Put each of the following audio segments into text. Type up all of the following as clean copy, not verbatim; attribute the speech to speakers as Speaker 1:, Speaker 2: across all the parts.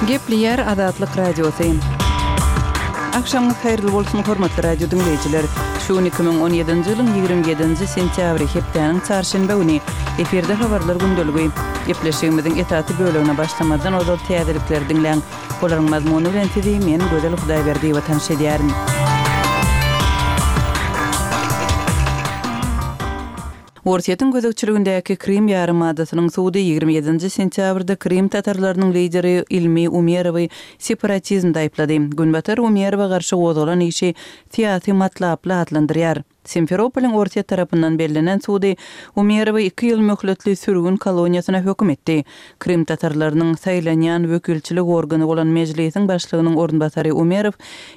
Speaker 1: Gepleýär Azatlyk Radiosy. Agşamyňyz haýyrly bolsun, hormatly radio diňleýjiler! Şu gün 2017-nji ýylyň 27-nji sentýabry, hepdäniň çarşenbe güni. Efirde habarlar gündeligi. Gepleşigimiziň esasy bölegine başlamazdan ozal täzelikleri diňläň. Olaryň mazmuny bilen sizi men, Gözel Hudaýberdiýewa tanyş edýärin. Orsýetiň gözegçiligindäki Krym ýarymadasynyň sudy 27-nji sentýabrda krym tatarlarynyň lideri Ilmi Umerowy separatizmde aýyplady. Günbatar Umerowa garşy gozgalan işi syýasy matlaply atlandyrýar. Simferopolyň Orsýet tarapyndan bellenen sudy Umerowy iki ýyl möhletli sürgün koloniýasyna höküm etdi. Krym tatarlarynyň saýlanýan wekilçilik organy bolan Mejlisiň başlygynyň orunbasary Umerow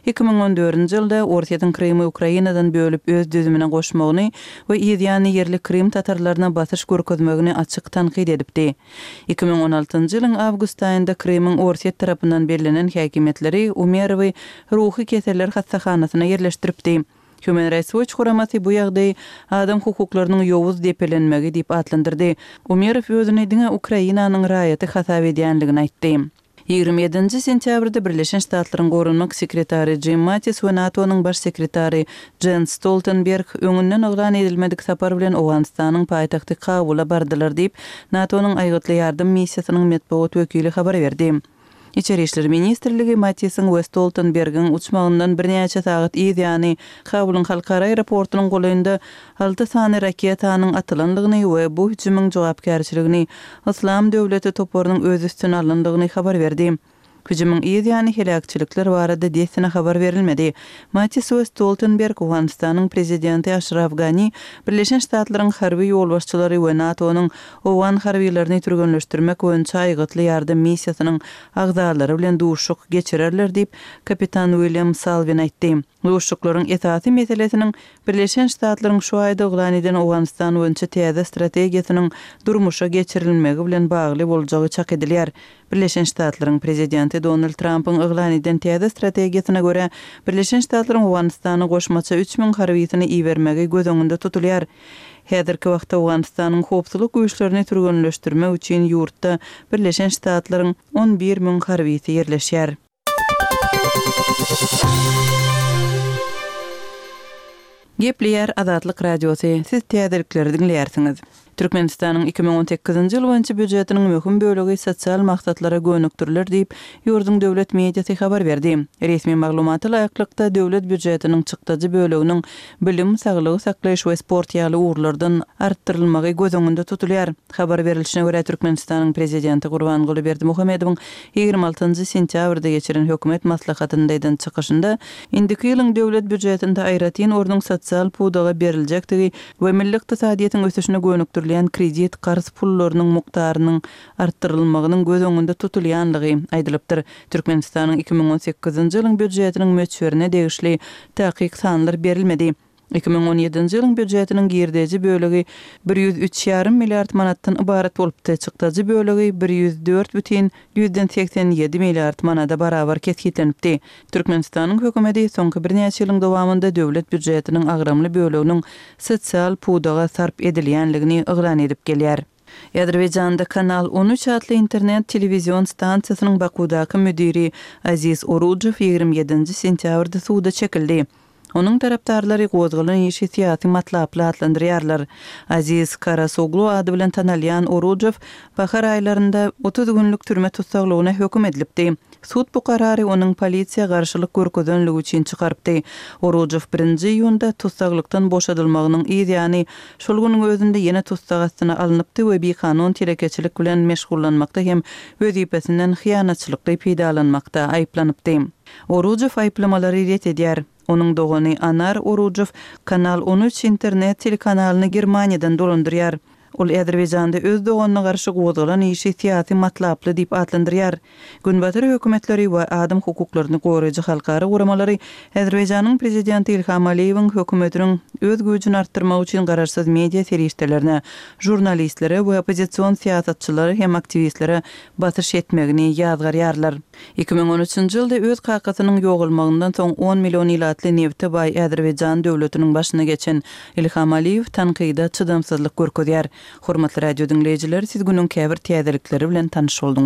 Speaker 1: 2014-nji ýylda Orsýetiň Krymy Ukrainadan bölüp öz düzümine goşmagyny we yzýany ýerli krym tatarlaryna basyş görkezmegini açyk tankyt edipdi. 2016-njy ýylyň awgust aýynda Krymyň Orsýet tarapyndan bellenen häkimiýetleri Umerowy ruhy keseller hassahanasyna ýerleşdiripdi. Human Rights Watch guramasy bu ýagdaýy adam hukuklarynyň ýowuz depelenmegi diýip atlandyrdy. Umerow özüni diňe Ukrainanyň raýaty hasap edýänligini aýtdy. 27-nji sentýabrda Birleşen Ştatlaryň Goranmak sekretary Jim Mattis we NATO-nyň Baş sekretary Jens Stoltenberg öňünden yglan edilmedik sapar bilen Owganystanyň paýtagty Kabula bardylar diýip, NATO-nyň Aýgytly ýardam missiýasynyň metbugat wekili habar berdi. Içeri işler ministrligi Mattisiň we Stoltenbergiň uçmagyndan birnäçe sagat yz ýany Kabulyň halkara aeroportunyň golaýynda alty sany raketanyň atylandygyny we bu hüjümiň jogapkärçiligini Yslam döwleti toparynyň öz üstüne alandygyny habar berdi. Hüjümiň yz ýany heläkçilikler barada dessine habar berilmedi. Mattis we Stoltenberg Owganystanyň prezidenti Aşraf Gani, Birleşen Ştatlaryň harby ýolbaşçylary we NATO-nyň owgan harbylaryny türgenleşdirmek boýunça aýgytly ýardam missiýasynyň agzalary bilen duşuşyk geçirerler diýip, kapitan William Salwin aýtdy. Duşuşyklaryň esasy meselesiniň Birleşen Ştatlaryň şu aýda yglan eden Owganystan boýunça täze strategiýasynyň durmuşa geçirilmegi bilen bagly boljagy çak edilýär. Birleşen Ştatlaryň Prezidenti Donald Trampyň yglan eden täze strategiýasyna görä, Birleşen Ştatlaryň Owganystana goşmaça 3000 harbysyny ibermegi göz öňünde tutulýar. Häzirki wagtda Owganystanyň howpsuzlyk güýçlerini türgenleşdirmek üçin ýurtda Birleşen Ştatlaryň 11 müň harbysy ýerleşýär. Gepleýär Azatlyk Radiosy, Siz täzelikleri diňleýärsiňiz. Türkmenistanyň 2018-nji ýyl boýunça býujetiniň möhüm bölegi sosial maksatlara gönükdiriler diýip, ýurduň döwlet mediasy habar berdi. Resmi maglumata laýyklykda, döwlet býujetiniň çykdajy böleginiň bilim, saglygy saklaýyş we sport ýaly ugurlardan artdyrylmagy göz öňünde tutulýar. Habar berlişine görä, Türkmenistanyň Prezidenti Gurbanguly Berdimuhamedowyň 26-njy sentýabrda geçiren hökümet maslahatynda eden çykyşynda indiki ýylyň döwlet býujetinde aýratyn ornuň sosial pudaga beriljekdigi we milli ykdysadyýetiň ösüşine gönükdirilýän kredit-karz pullarynyň mukdarynyň artdyrylmagynyň göz öňünde tutulýanlygy aýdylypdyr. Türkmenistanyň 2018-nji ýylyň býujetiniň möçberine degişli takyk sanlar berilmedi. 2017-nji ýylyň býujetiniň girdeji bölegi 103 ýarym milliard manatdan ybarat bolupdy, çykdajy bölegi 104 bütin ýüzden 87 milliard manada barabar kesgitlenipdi. Türkmenistanyň hökümeti soňky birnäçe ýylyň dowamynda döwlet býujetiniň agramly böleginiň sosial pudaga sarp edilýänligini yglan edip gelýär. Azerbaýjanda Kanal 13 atly internet telewizion stansiýasynyň Bakuwdaky müdiri Aziz Orujow 27-nji sentýabrda suda çekildi. Onuň tarapdarlary gozgalan işi syýasy matlaply atlandyrýarlar. Aziz Karasoglu ady bilen tanalýan Orujow bahar aýlarynda 30 günlük türme tussaglygyna höküm edilipdi. Sud bu karary onuň polisiýa garşylyk görkezenligi üçin çykarypdy. Orujow birinji iýunda tussaglykdan boşadylmagynyň yz ýany şol günüň özünde ýene tussag astyna alnypdy we bikanun telekeçilik bilen meşgullanmakda hem wezipesinden hyýanatçylykly peýdalanmakda aýyplanypdy. Orujow aýyplamalary ret edýär. Onuň dogany Anar Orujow Kanal 13 internet telekanalyny Germaniýadan dolandyrýar. Ol Azerbaýjanda öz doganyna garşy gozgalan işi syýasy matlaply diýip atlandyrýar. Günbatar hökümetleri we adam hukuklaryny goraýjy halkara guramalary Azerbaýjanyň prezidenti Ilham Aliýewiň hökümetiniň öz güýjüni artdyrmak üçin garaşsyz media serişdelerine, žurnalistlere we oppozision syýasatçylara hem aktiwistlere basyş etmegini ýazgarýarlar. 2013-nji ýylda öz kakasynyň ýogalmagyndan soň on million ilatly nebte baý Azerbaýjan döwletiniň başyna geçen Ilham Aliýew tankyda çydamsyzlyk görkezýär. Hormatly radio diňleýjiler, siz günüň käbir täzelikleri bilen tanyş bolduňyz.